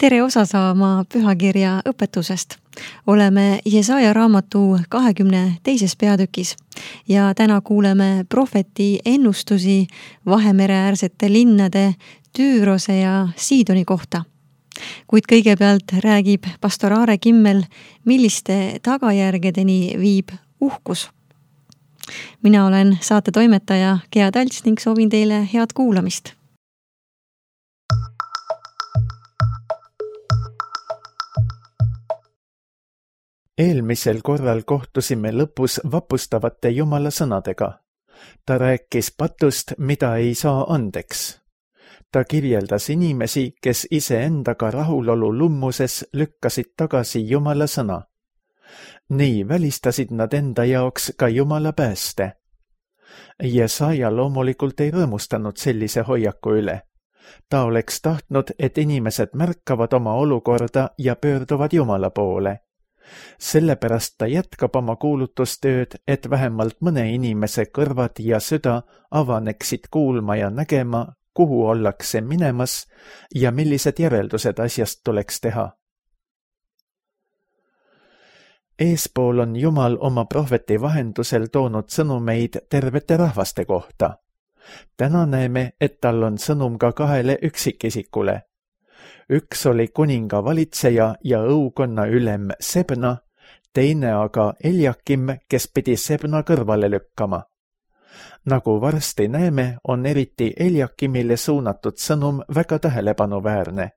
Tere osa saama pühakirja õpetusest. Oleme Jesaja raamatu 22. peatükis ja täna kuuleme prohveti ennustusi Vahemereäärsete linnade Tüürose ja Siidoni kohta. Kuid kõigepealt räägib pastor Aare Kimmel, milliste tagajärgedeni viib uhkus. Mina olen saate toimetaja Gea Talts ning soovin teile head kuulamist. Eelmisel korral kohtusime lõpus vapustavate Jumala sõnadega. Ta rääkis patust, mida ei saa andeks. Ta kirjeldas inimesi, kes iseendaga rahulolu lummuses lükkasid tagasi Jumala sõna. Nii välistasid nad enda jaoks ka Jumala pääste. Jesaja loomulikult ei rõõmustanud sellise hoiaku üle. Ta oleks tahtnud, et inimesed märkavad oma olukorda ja pöörduvad Jumala poole. Sellepärast ta jätkab oma kuulutustööd, et vähemalt mõne inimese kõrvad ja süda avaneksid kuulma ja nägema, kuhu ollakse minemas ja millised järeldused asjast tuleks teha. Eespool on Jumal oma prohveti vahendusel toonud sõnumeid tervete rahvaste kohta. Täna näeme, et tal on sõnum ka 2 üksikisikule. Üks oli kuninga valitseja ja õukonna ülem Sebna, teine aga Eljakim, kes pidi Sebna kõrvale lükkama. Nagu varsti näeme, on eriti Eljakimile suunatud sõnum väga tähelepanuväärne.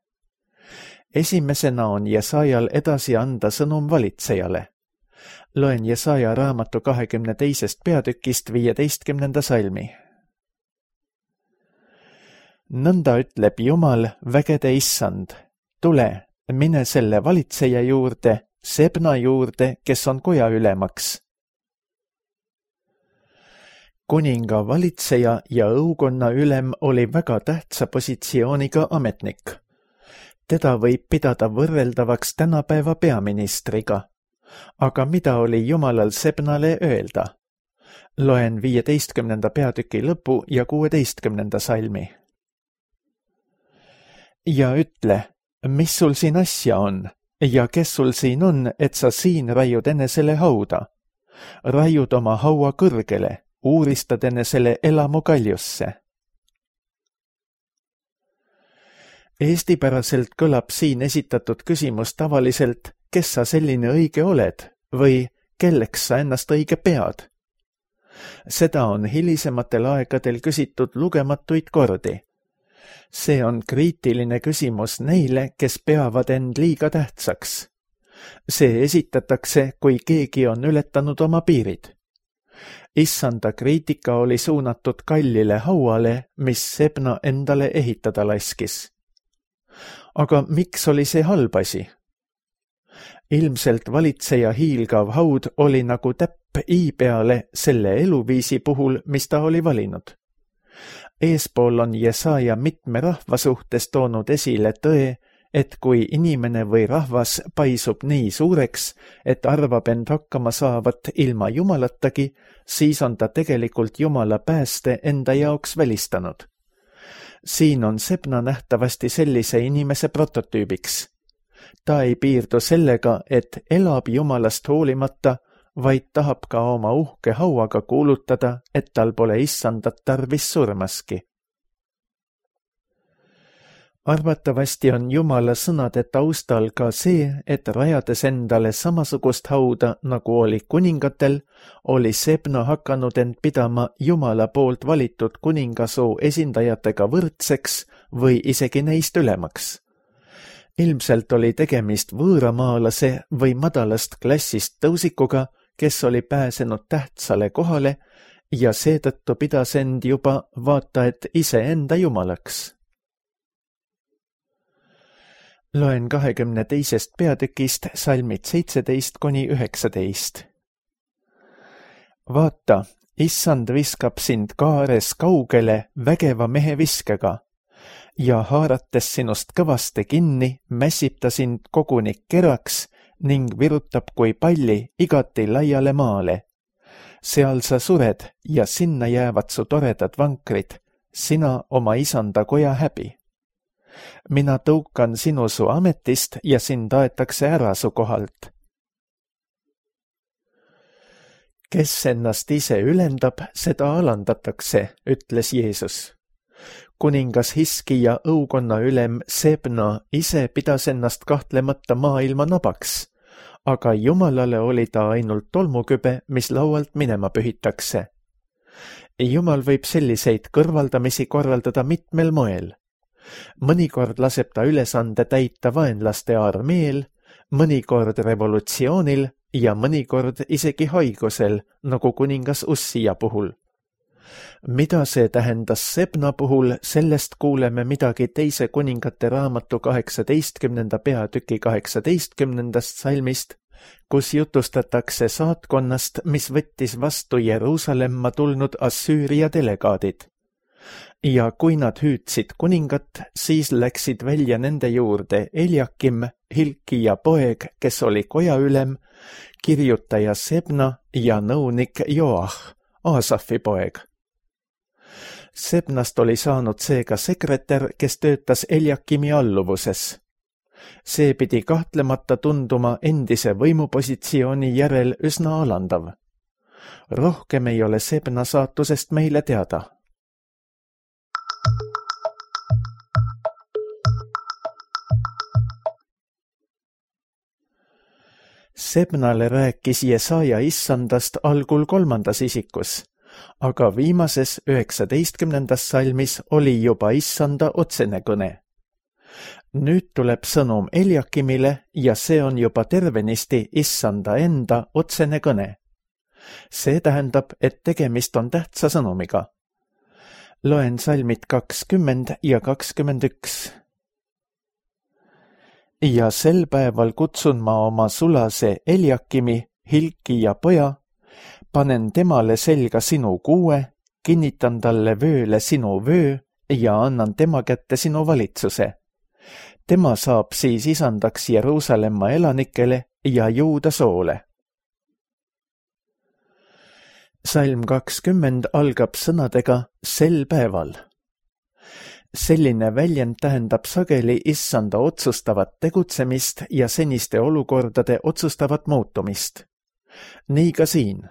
Esimesena on Jesajal edasi anda sõnum valitsejale. Loen Jesaja raamatu 22. peatükist 15. salmi. Nõnda ütleb Jumal, vägede issand, tule, mine selle valitseja juurde, Sebna juurde, kes on koja ülemaks. Kuninga valitseja ja õukonna ülem oli väga tähtsa positsiooniga ametnik. Teda võib pidada võrreldavaks tänapäeva peaministriga. Aga mida oli Jumalal Sebnale öelda? Loen 15. peatüki lõpu ja 16. salmi. Ja ütle, mis sul siin asja on ja kes sul siin on, et sa siin raiud enesele hauda? Raiud oma haua kõrgele, uuristad enesele elamu kaljusse. Eestipäraselt kõlab siin esitatud küsimus tavaliselt, kes sa selline õige oled või kelleks sa ennast õige pead? Seda on hilisematel aegadel küsitud lugematuid kordi. See on kriitiline küsimus neile, kes peavad end liiga tähtsaks. See esitatakse, kui keegi on ületanud oma piirid. Issanda kriitika oli suunatud kallile hauale, mis Sebna endale ehitada laskis. Aga miks oli see halb asi? Ilmselt valitseja hiilgav haud oli nagu täpp i peale selle eluviisi puhul, mis ta oli valinud. Eespool on Jesaja mitme rahva suhtes toonud esile tõe, et kui inimene või rahvas paisub nii suureks, et arvab end hakkama saavat ilma Jumalatagi, siis on ta tegelikult Jumala pääste enda jaoks välistanud. Siin on Sebna nähtavasti sellise inimese prototüübiks. Ta ei piirdu sellega, et elab Jumalast hoolimata, vaid tahab ka oma uhke hauaga kuulutada, et tal pole issandat tarvis surmaski. Arvatavasti on Jumala sõnade taustal ka see, et rajades endale samasugust hauda, nagu oli kuningatel, oli Sebna hakanud end pidama Jumala poolt valitud kuningasoo esindajatega võrdseks või isegi neist ülemaks. Ilmselt oli tegemist võõramaalase või madalast klassist tõusikuga, kes oli pääsenud tähtsale kohale ja seetõttu pidas end juba vaata et iseenda jumalaks. Loen 22. peatükist salmid 17–19. Vaata, issand viskab sind kaares kaugele vägeva mehe viskega ja haarates sinust kõvaste kinni, mässib ta sind koguni keraks ning virutab kui palli igati laiale maale. Seal sa sured ja sinna jäävad su toredad vankrid, sina oma isanda koja häbi. mina tõukan sinu su ametist ja sind aetakse ära su kohalt. Kes ennast ise ülendab, seda alandatakse, ütles Jeesus. Kuningas Hiskija õukonna ülem Sebna ise pidas ennast kahtlemata maailma nabaks, aga Jumalale oli ta ainult tolmukübe, mis laualt minema pühitakse. Jumal võib selliseid kõrvaldamisi korraldada mitmel moel. Mõnikord laseb ta ülesande täita vaenlaste armeel, mõnikord revolutsioonil ja mõnikord isegi haigusel, nagu kuningas Ussija puhul. Mida see tähendas Sebna puhul, sellest kuuleme midagi Teise kuningate raamatu 18. peatüki 18. salmist, kus jutustatakse saatkonnast, mis võttis vastu Jeruusalemma tulnud Assüüria delegaadid. Ja kui nad hüüdsid kuningat, siis läksid välja nende juurde Eliakim, Hilkija poeg, kes oli kojaülem, kirjutaja Sebna ja nõunik Joah, Aasafi poeg. Sebnast oli saanud seega sekretär, kes töötas Eliakimi alluvuses. See pidi kahtlemata tunduma endise võimupositsiooni järel üsna alandav. Rohkem ei ole Sebna saatusest meile teada. Sebnale rääkis Jesaja issandast algul 3. isikus, aga viimases 19. salmis oli juba issanda otsene kõne. Nüüd tuleb sõnum Eliakimile ja see on juba tervenisti issanda enda otsene kõne. See tähendab, et tegemist on tähtsa sõnumiga. Loen salmid 20 ja 21. Ja sel päeval kutsun ma oma sulase Eliakimi, Hilkija poja, panen temale selga sinu kuue, kinnitan talle vööle sinu vöö ja annan tema kätte sinu valitsuse. Tema saab siis isandaks Jeruusalemma elanikele ja Juuda soole. Salm 20 algab sõnadega sel päeval. Selline väljend tähendab sageli issanda otsustavat tegutsemist ja seniste olukordade otsustavat muutumist. Nii ka siin.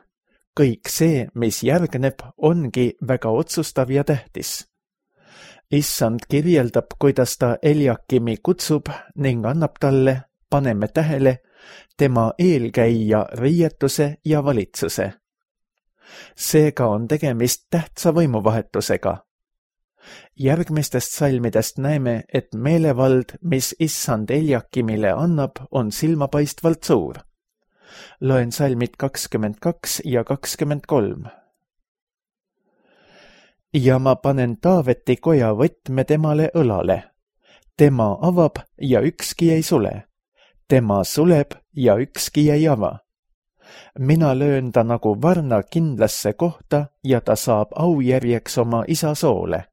Kõik see, mis järgneb, ongi väga otsustav ja tähtis. Issand kirjeldab, kuidas ta Eliakimi kutsub ning annab talle, paneme tähele, tema eelkäija riietuse ja valitsuse. Seega on tegemist tähtsa võimuvahetusega. Järgmistest salmidest näeme, et meelevald, mis issand Eliakimile annab, on silmapaistvalt suur. Loen salmid 22 ja 23. Ja ma panen Taaveti koja võtme temale õlale. Tema avab ja ükski ei sule. Tema suleb ja ükski ei ava. Mina löön ta nagu varna kindlasse kohta ja ta saab aujärjeks oma isa soole.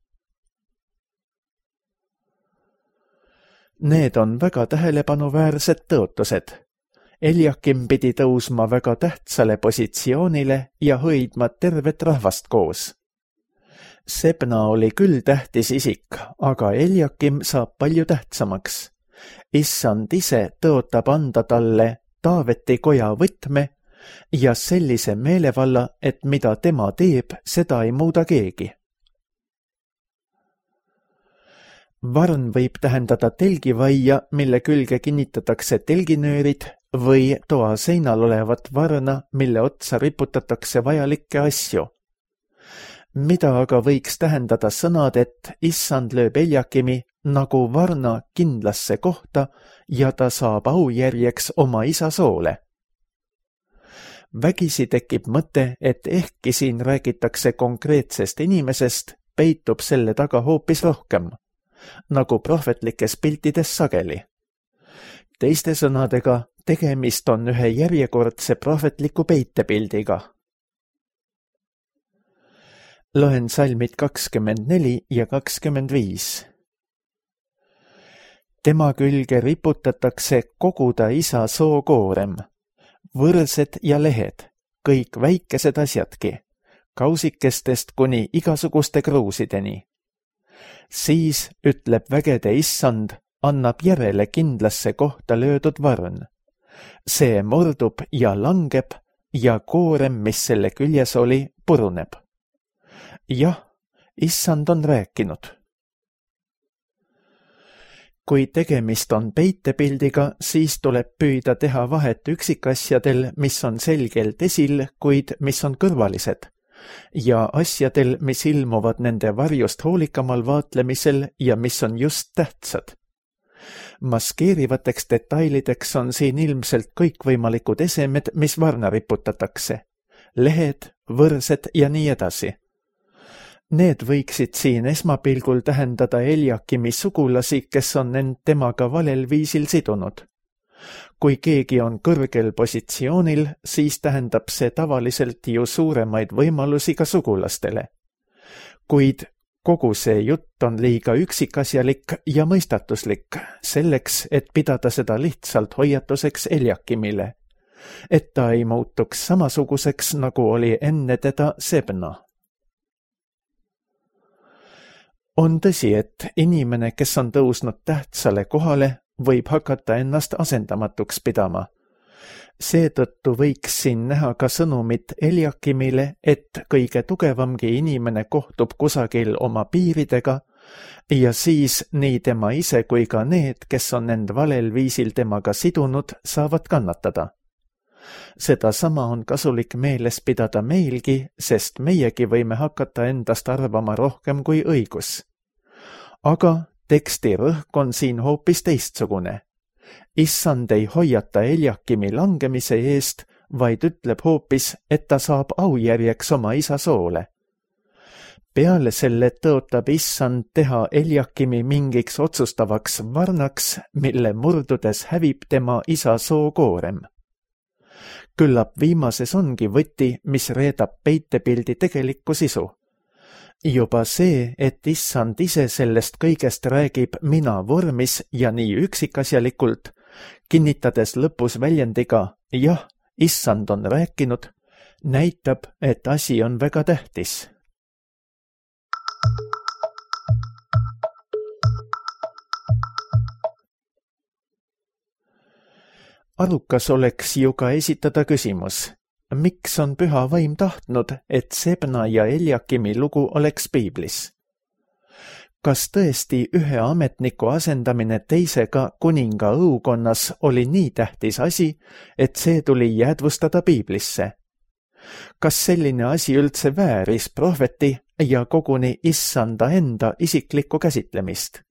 Need on väga tähelepanuväärsed tõotused. Eliakim pidi tõusma väga tähtsale positsioonile ja hoidma tervet rahvast koos. Sebna oli küll tähtis isik, aga Eliakim saab palju tähtsamaks. Issand ise tõotab anda talle Taaveti koja võtme ja sellise meelevalla, et mida tema teeb, seda ei muuda keegi. Varn võib tähendada telgivaia, mille külge kinnitatakse telginöörid või toa seinal olevat varna, mille otsa riputatakse vajalikke asju. Mida aga võiks tähendada sõnad, et issand lööb Eliakimi nagu varna kindlasse kohta ja ta saab aujärjeks oma isa soole. Vägisi tekib mõte, et ehkki siin räägitakse konkreetsest inimesest, peitub selle taga hoopis rohkem, nagu prohvetlikes piltides sageli. Teiste sõnadega, tegemist on ühe järjekordse prohvetliku peitepildiga. Loen salmid 24 ja 25. Tema külge riputatakse kogu ta isa sookoorem, võrsed ja lehed, kõik väikesed asjadki, kausikestest kuni igasuguste kruusideni. Siis ütleb vägede issand, annab järele kindlasse kohta löödud varn. See murdub ja langeb ja koorem, mis selle küljes oli, puruneb. Jah, issand on rääkinud. Kui tegemist on peitepildiga, siis tuleb püüda teha vahet üksikasjadel, mis on selgelt esil, kuid mis on kõrvalised, ja asjadel, mis ilmuvad nende varjust hoolikamal vaatlemisel ja mis on just tähtsad. Maskeerivateks detailideks on siin ilmselt kõikvõimalikud esemed, mis varna riputatakse, lehed, võrsed ja nii edasi. Need võiksid siin esmapilgul tähendada Eliakimi sugulasi, kes on end temaga valel viisil sidunud. Kui keegi on kõrgel positsioonil, siis tähendab see tavaliselt ju suuremaid võimalusi ka sugulastele. Kuid kogu see jutt on liiga üksikasjalik ja mõistatuslik selleks, et pidada seda lihtsalt hoiatuseks Eliakimile, et ta ei muutuks samasuguseks, nagu oli enne teda Sebna. On tõsi, et inimene, kes on tõusnud tähtsale kohale, võib hakata ennast asendamatuks pidama. Seetõttu võiks siin näha ka sõnumit Eliakimile, et kõige tugevamgi inimene kohtub kusagil oma piiridega ja siis nii tema ise kui ka need, kes on end valel viisil temaga sidunud, saavad kannatada. Sedasama on kasulik meeles pidada meilgi, sest meiegi võime hakata endast arvama rohkem kui õigus. Aga teksti rõhk on siin hoopis teistsugune. Issand ei hoiata Eliakimi langemise eest, vaid ütleb hoopis, et ta saab aujärjeks oma isa soole. Peale selle tõotab issand teha Eliakimi mingiks otsustavaks varnaks, mille murdudes hävib tema isa sookoorem. Küllap viimases ongi võti, mis reedab peitepildi tegelikku sisu. Juba see, et issand ise sellest kõigest räägib mina vormis ja nii üksikasjalikult, kinnitades lõpus väljendiga jah, issand on rääkinud, näitab, et asi on väga tähtis. Arukas oleks ju ka esitada küsimus. Miks on püha vaim tahtnud, et Sebna ja Eliakimi lugu oleks piiblis? Kas tõesti ühe ametniku asendamine teisega kuninga õukonnas oli nii tähtis asi, et see tuli jäädvustada piiblisse? Kas selline asi üldse vääris prohveti ja koguni issanda enda isiklikku käsitlemist?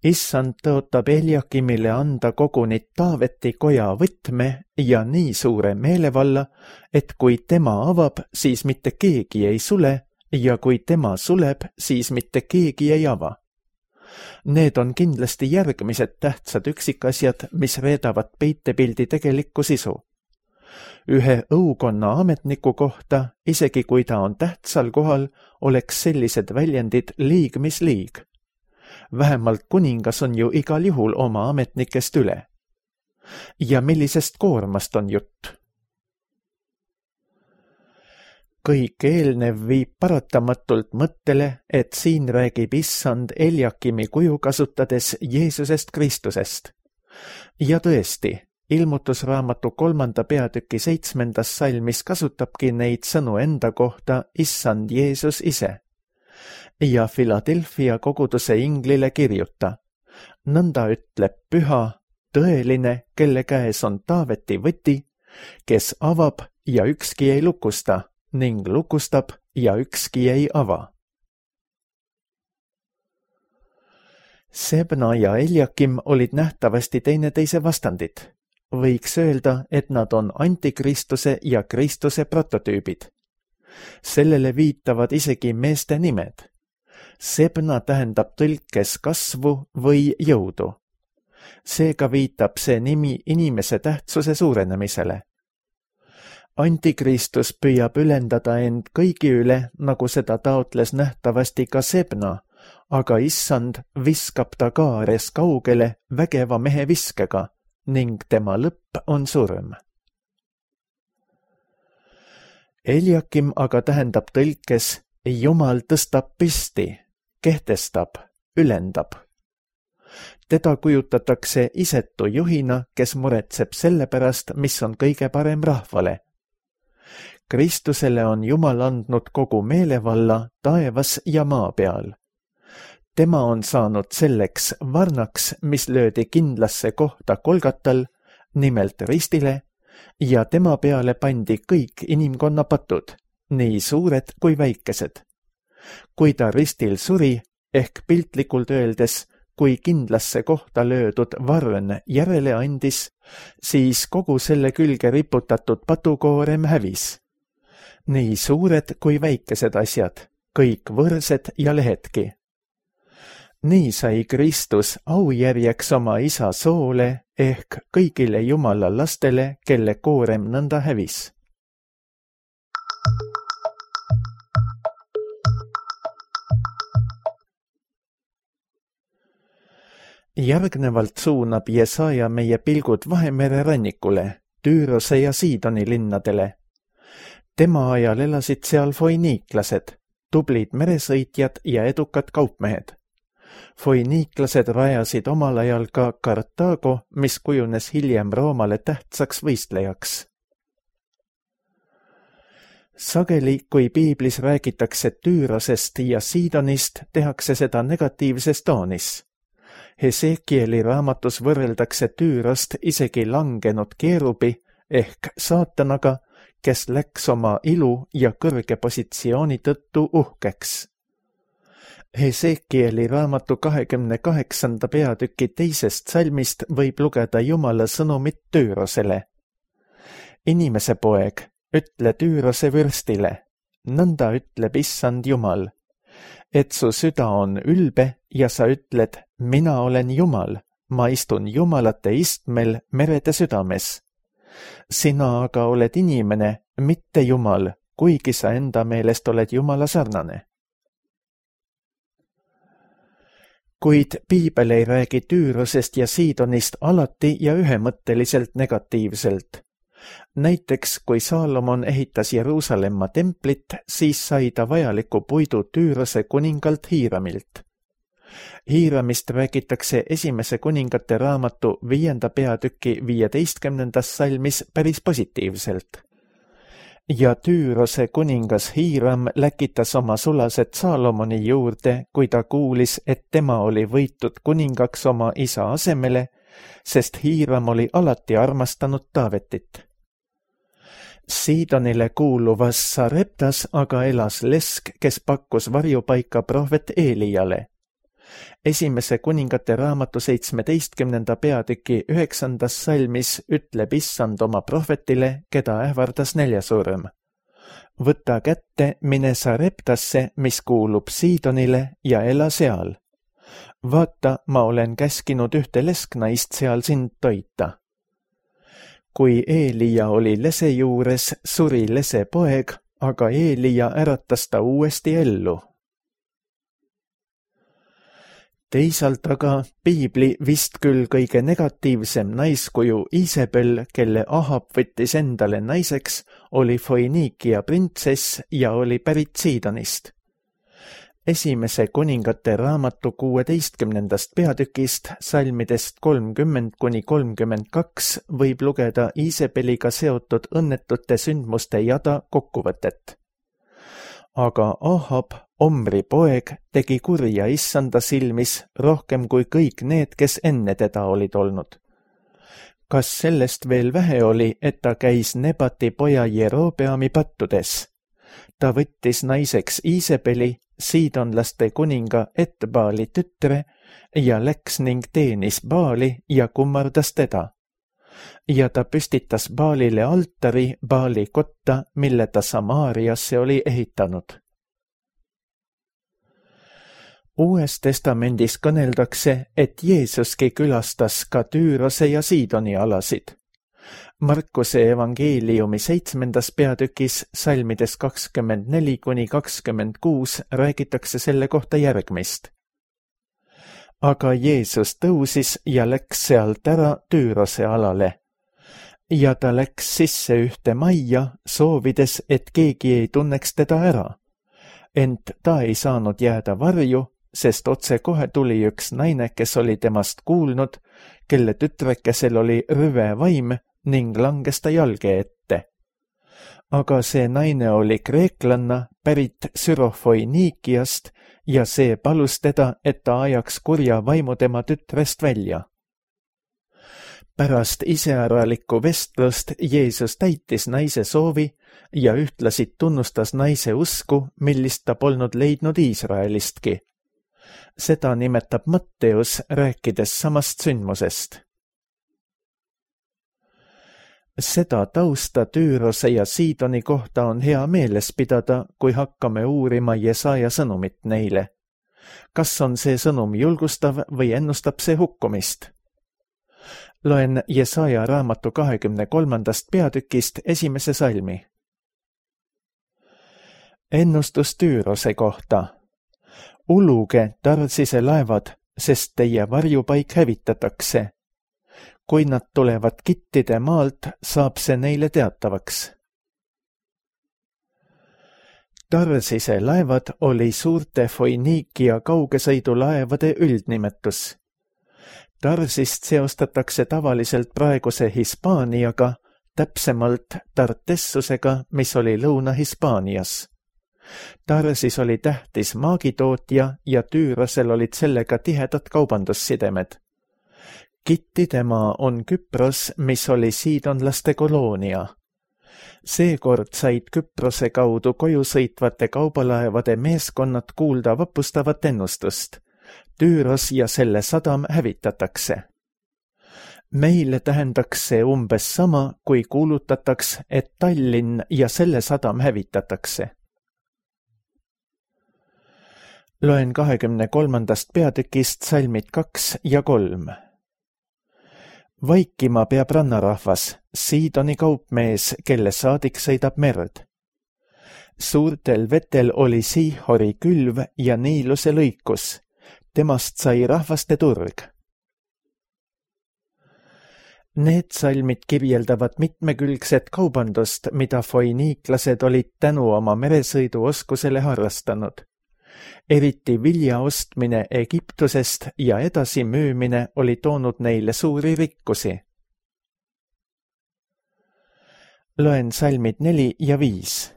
Issand tõotab Eliakimile anda koguni Taaveti koja võtme ja nii suure meelevalla, et kui tema avab, siis mitte keegi ei sule ja kui tema suleb, siis mitte keegi ei ava. Need on kindlasti järgmised tähtsad üksikasjad, mis reedavad peitepildi tegelikku sisu. Ühe õukonna ametniku kohta, isegi kui ta on tähtsal kohal, oleks sellised väljendid liig mis liig. Vähemalt kuningas on ju igal juhul oma ametnikest üle. Ja millisest koormast on jutt? Kõik eelnev viib paratamatult mõttele, et siin räägib issand Eliakimi kuju kasutades Jeesusest Kristusest. Ja tõesti, ilmutusraamatu 3. peatüki 7. salmis kasutabki neid sõnu enda kohta issand Jeesus ise. Ja Philadelphia koguduse inglile kirjuta. Nõnda ütleb püha, tõeline, kelle käes on Taaveti võti, kes avab ja ükski ei lukusta ning lukustab ja ükski ei ava. Sebna ja Eliakim olid nähtavasti teineteise vastandid. Võiks öelda, et nad on antikristuse ja Kristuse prototüübid. Sellele viitavad isegi meeste nimed. Sebna tähendab tõlkes kasvu või jõudu. Seega viitab see nimi inimese tähtsuse suurenemisele. Antikristus püüab ülendada end kõigi üle, nagu seda taotles nähtavasti ka Sebna, aga issand viskab ta kaares kaugele vägeva mehe viskega ning tema lõpp on surm. Eliakim aga tähendab tõlkes Jumal tõstab pisti, kehtestab, ülendab. Teda kujutatakse isetu juhina, kes muretseb selle pärast, mis on kõige parem rahvale. Kristusele on Jumal andnud kogu meelevalla taevas ja maa peal. Tema on saanud selleks varnaks, mis löödi kindlasse kohta Golgatal, nimelt ristile, ja tema peale pandi kõik inimkonna patud, nii suured kui väikesed. Kui ta ristil suri, ehk piltlikult öeldes, kui kindlasse kohta löödud varn järele andis, siis kogu selle külge riputatud patukoorem hävis. Nii suured kui väikesed asjad, kõik võrsed ja lehedki. Nii sai Kristus aujärjeks oma isa soole ehk kõigile Jumala lastele, kelle koorem nõnda hävis. Järgnevalt suunab Jesaja meie pilgud Vahemere rannikule, Tüürose ja Siidoni linnadele. Tema ajal elasid seal foiniiklased, tublid meresõitjad ja edukad kaupmehed. Foiniiklased rajasid omal ajal ka Kartaago, mis kujunes hiljem Roomale tähtsaks võistlejaks. Sageli, kui piiblis räägitakse Tüürosest ja Siidonist, tehakse seda negatiivses toonis. Hesekieli raamatus võrreldakse Tüürost isegi langenud keerubi ehk saatanaga, kes läks oma ilu ja kõrge positsiooni tõttu uhkeks. Hesekieli raamatu 28. peatüki 2. salmist võib lugeda Jumala sõnumit Tüürosele. Inimese poeg, ütle Tüürose vürstile, nõnda ütleb issand Jumal, et su süda on ülbe ja sa ütled, mina olen Jumal, ma istun jumalate istmel merede südames. Sina aga oled inimene, mitte Jumal, kuigi sa enda meelest oled Jumala sarnane. Kuid piibel ei räägi Tüürosest ja Siidonist alati ja ühemõtteliselt negatiivselt. Näiteks, kui Saalomon ehitas Jeruusalemma templit, siis sai ta vajaliku puidu Tüürose kuningalt Hiiramilt. Hiiramist räägitakse esimese kuningate raamatu 5. peatüki 15. salmis päris positiivselt. Ja Tüürose kuningas Hiiram läkitas oma sulased Saalomoni juurde, kui ta kuulis, et tema oli võitud kuningaks oma isa asemele, sest Hiiram oli alati armastanud Taavetit. Siidonile kuuluvas Sareptas aga elas lesk, kes pakkus varjupaika prohvet Eelijale. Esimese kuningate raamatu 17. peatüki 9. salmis ütleb issand oma prohvetile, keda ähvardas näljasurm. Võta kätte, mine Sareptasse, mis kuulub Siidonile ja ela seal. Vaata, ma olen käskinud ühte lesknaist seal sind toita. Kui Eelija oli lese juures, suri lese poeg, aga Eelija äratas ta uuesti ellu. Teisalt aga piibli vist küll kõige negatiivsem naiskuju Iisabel, kelle Ahab võttis endale naiseks, oli Foiniikia printsess ja oli pärit Siidonist. Esimese kuningate raamatu 16. peatükist, salmidest 30–32 võib lugeda Iisabeliga seotud õnnetute sündmuste jada kokkuvõtet. Aga Ahab, Omri poeg, tegi kurja issanda silmis rohkem kui kõik need, kes enne teda olid olnud. Kas sellest veel vähe oli, et ta käis Nebati poja Jerobeami pattudes? Ta võttis naiseks Iisabeli, siidonlaste kuninga Etbaali tütre, ja läks ning teenis Baali ja kummardas teda. Ja ta püstitas Baalile altari Baali kotta, mille ta Samaariasse oli ehitanud. Uues testamendis kõneldakse, et Jeesuski külastas ka Tüürose ja Siidoni alasid. Markuse evangeeliumi 7. peatükis, salmides 24–26 räägitakse selle kohta järgmist. Aga Jeesus tõusis ja läks sealt ära Tüürose alale. Ja ta läks sisse ühte majja, soovides, et keegi ei tunneks teda ära. Ent ta ei saanud jääda varju, sest otsekohe tuli üks naine, kes oli temast kuulnud, kelle tütrekesel oli rüve vaim ning langes ta jalge ette. Aga see naine oli kreeklanna pärit Syrofoiniikiast ja see palus teda, et ta ajaks kurja vaimu tema tütrest välja. Pärast iseäralikku vestlust Jeesus täitis naise soovi ja ühtlasi tunnustas naise usku, millist ta polnud leidnud Iisraelistki. Seda nimetab Matteus, rääkides samast sündmusest. Seda tausta Tüürose ja Siidoni kohta on hea meeles pidada, kui hakkame uurima Jesaja sõnumit neile. Kas on see sõnum julgustav või ennustab see hukkumist? Loen Jesaja raamatu 23. peatükist 1. salmi. Ennustus Tüürose kohta. Uluge, Tarsise laevad, sest teie varjupaik hävitatakse. Kui nad tulevad Kittide maalt, saab see neile teatavaks. Tarsise laevad oli suurte Foiniikia kaugesõidulaevade üldnimetus. Tarsist seostatakse tavaliselt praeguse Hispaaniaga, täpsemalt Tartessusega, mis oli Lõuna-Hispaanias. Tarsis oli tähtis maagitootja ja Tüürosel olid sellega tihedad kaubandussidemed. Kittide maa on Küpros, mis oli siidonlaste koloonia. Seekord said Küprose kaudu koju sõitvate kaubalaevade meeskonnad kuulda vapustavat ennustust. Tüüros ja selle sadam hävitatakse. Meile tähendaks see umbes sama, kui kuulutataks, et Tallinn ja selle sadam hävitatakse. Loen 23. peatükist salmid 2 ja 3. Vaikima peab rannarahvas, Siidoni kaupmees, kelle saadik sõidab merd. Suurtel vetel oli Siihori külv ja Niiluse lõikus. Temast sai rahvaste turg. Need salmid kirjeldavad mitmekülgset kaubandust, mida foiniiklased olid tänu oma meresõiduoskusele harrastanud. Eriti vilja ostmine Egiptusest ja edasi müümine oli toonud neile suuri rikkusi. Loen salmid 4 ja 5.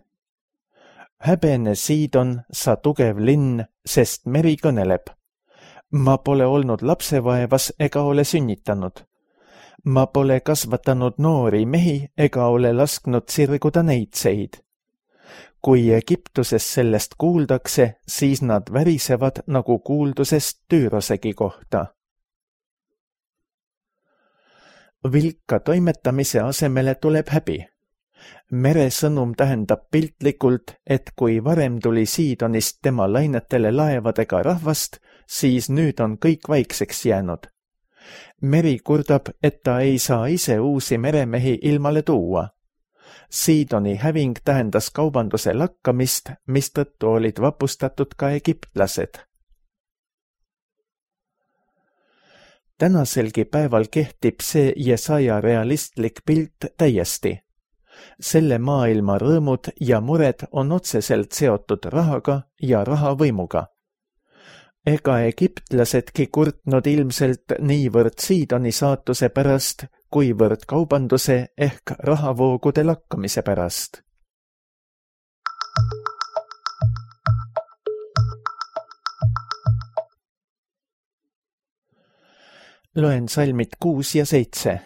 Häbene Siidon, sa tugev linn, sest meri kõneleb. Ma pole olnud lapsevaevas ega ole sünnitanud. Ma pole kasvatanud noori mehi ega ole lasknud sirguda neitseid. Kui Egiptuses sellest kuuldakse, siis nad värisevad nagu kuuldusest Tüürosegi kohta. Vilka toimetamise asemele tuleb häbi. Meresõnum tähendab piltlikult, et kui varem tuli Siidonist tema lainetele laevadega rahvast, siis nüüd on kõik vaikseks jäänud. Meri kurdab, et ta ei saa ise uusi meremehi ilmale tuua. Siidoni häving tähendas kaubanduse lakkamist, mistõttu olid vapustatud ka egiptlased. Tänaselgi päeval kehtib see Jesaja realistlik pilt täiesti. Selle maailma rõõmud ja mured on otseselt seotud rahaga ja rahavõimuga. Ega egiptlasedki kurtnud ilmselt niivõrd Siidoni saatuse pärast, kuivõrd kaubanduse ehk rahavoogude lakkamise pärast. Loen salmid 6 ja 7.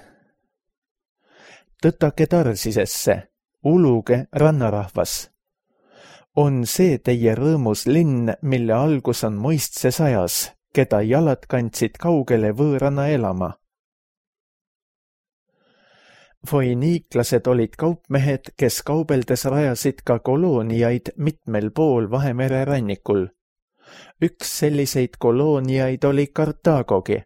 Tõtake Tarsisesse, uluge rannarahvas. On see teie rõõmus linn, mille algus on muistses ajas, keda jalad kandsid kaugele võõrana elama. Foiniiklased olid kaupmehed, kes kaubeldes rajasid ka kolooniaid mitmel pool Vahemere rannikul. Üks selliseid kolooniaid oli Kartaagogi.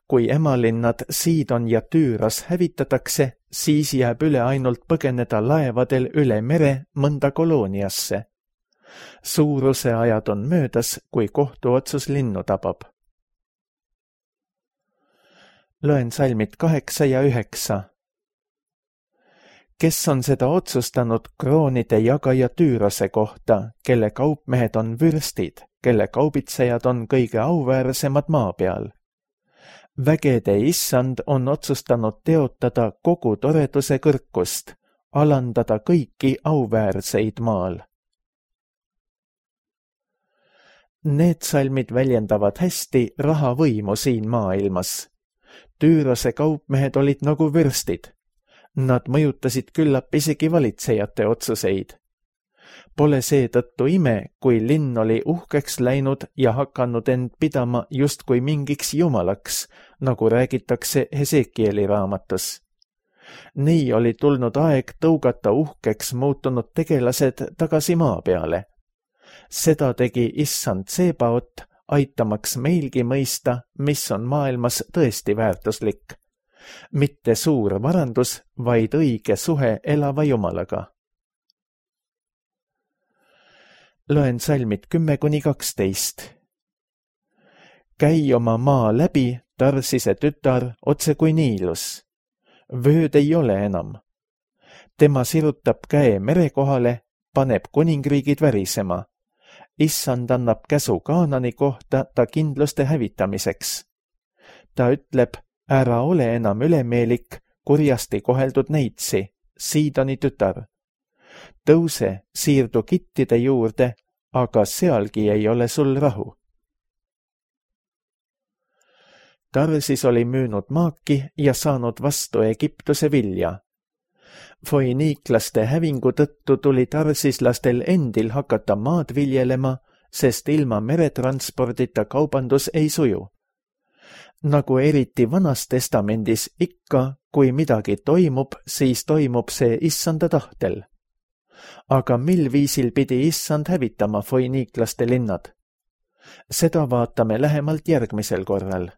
Kui emalinnad Siidon ja Tüüros hävitatakse, siis jääb üle ainult põgeneda laevadel üle mere mõnda kolooniasse. Suuruse ajad on möödas, kui kohtuotsus linnu tabab. Loen salmid 8 ja 9. Kes on seda otsustanud kroonide jagaja Tüürose kohta, kelle kaupmehed on vürstid, kelle kaubitsejad on kõige auväärsemad maa peal. Vägede issand on otsustanud teotada kogu toreduse kõrkust, alandada kõiki auväärseid maal. Need salmid väljendavad hästi raha võimu siin maailmas. Tüürose kaupmehed olid nagu vürstid. Nad mõjutasid küllap isegi valitsejate otsuseid. Pole seetõttu ime, kui linn oli uhkeks läinud ja hakanud end pidama justkui mingiks jumalaks, nagu räägitakse Hesekieli raamatus. Nii oli tulnud aeg tõugata uhkeks muutunud tegelased tagasi maa peale. Seda tegi issand Tsebaot, aitamaks meilgi mõista, mis on maailmas tõesti väärtuslik. Mitte suur varandus, vaid õige suhe elava Jumalaga. Loen salmid 10-12. Käi oma maa läbi, Tarsise tütar, otse kui Niilus. Vööd ei ole enam. Tema sirutab käe mere kohale, paneb kuningriigid värisema. Issand annab käsu Kaanani kohta ta kindluste hävitamiseks. Ta ütleb, ära ole enam ülemeelik, kurjasti koheldud neitsi, Siidoni tütar. Tõuse, siirdu kittide juurde, aga sealgi ei ole sul rahu. Tarsis oli müünud maaki ja saanud vastu Egiptuse vilja. Foiniiklaste hävingu tõttu tuli tarsislastel endil hakata maad viljelema, sest ilma meretranspordita kaubandus ei suju. Nagu eriti Vanas testamendis ikka, kui midagi toimub, siis toimub see issanda tahtel. Aga mil viisil pidi issand hävitama foiniiklaste linnad? Seda vaatame lähemalt järgmisel korral.